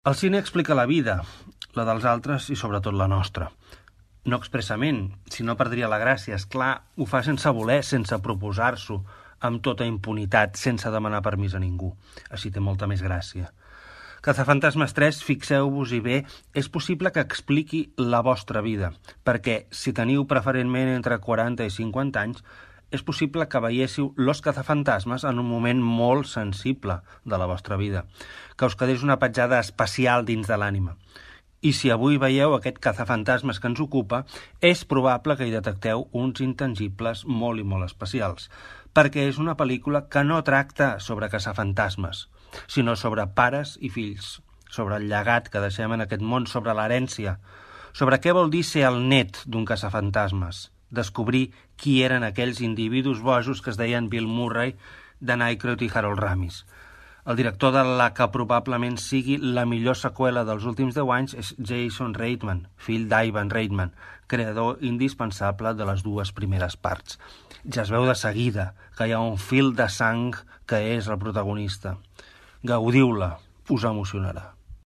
El cine explica la vida, la dels altres i sobretot la nostra. No expressament, si no perdria la gràcia. És clar, ho fa sense voler, sense proposar-s'ho, amb tota impunitat, sense demanar permís a ningú. Així té molta més gràcia. Cazafantasmes 3, fixeu-vos-hi bé, és possible que expliqui la vostra vida, perquè si teniu preferentment entre 40 i 50 anys, és possible que veiéssiu Los cazafantasmes en un moment molt sensible de la vostra vida, que us quedés una petjada especial dins de l'ànima. I si avui veieu aquest cazafantasmes que ens ocupa, és probable que hi detecteu uns intangibles molt i molt especials, perquè és una pel·lícula que no tracta sobre caçafantasmes, sinó sobre pares i fills, sobre el llegat que deixem en aquest món, sobre l'herència, sobre què vol dir ser el net d'un caçafantasmes, descobrir qui eren aquells individus bojos que es deien Bill Murray, Dan Aykroyd i Harold Ramis. El director de la que probablement sigui la millor seqüela dels últims 10 anys és Jason Reitman, fill d'Ivan Reitman, creador indispensable de les dues primeres parts. Ja es veu de seguida que hi ha un fil de sang que és el protagonista. Gaudiu-la, us emocionarà.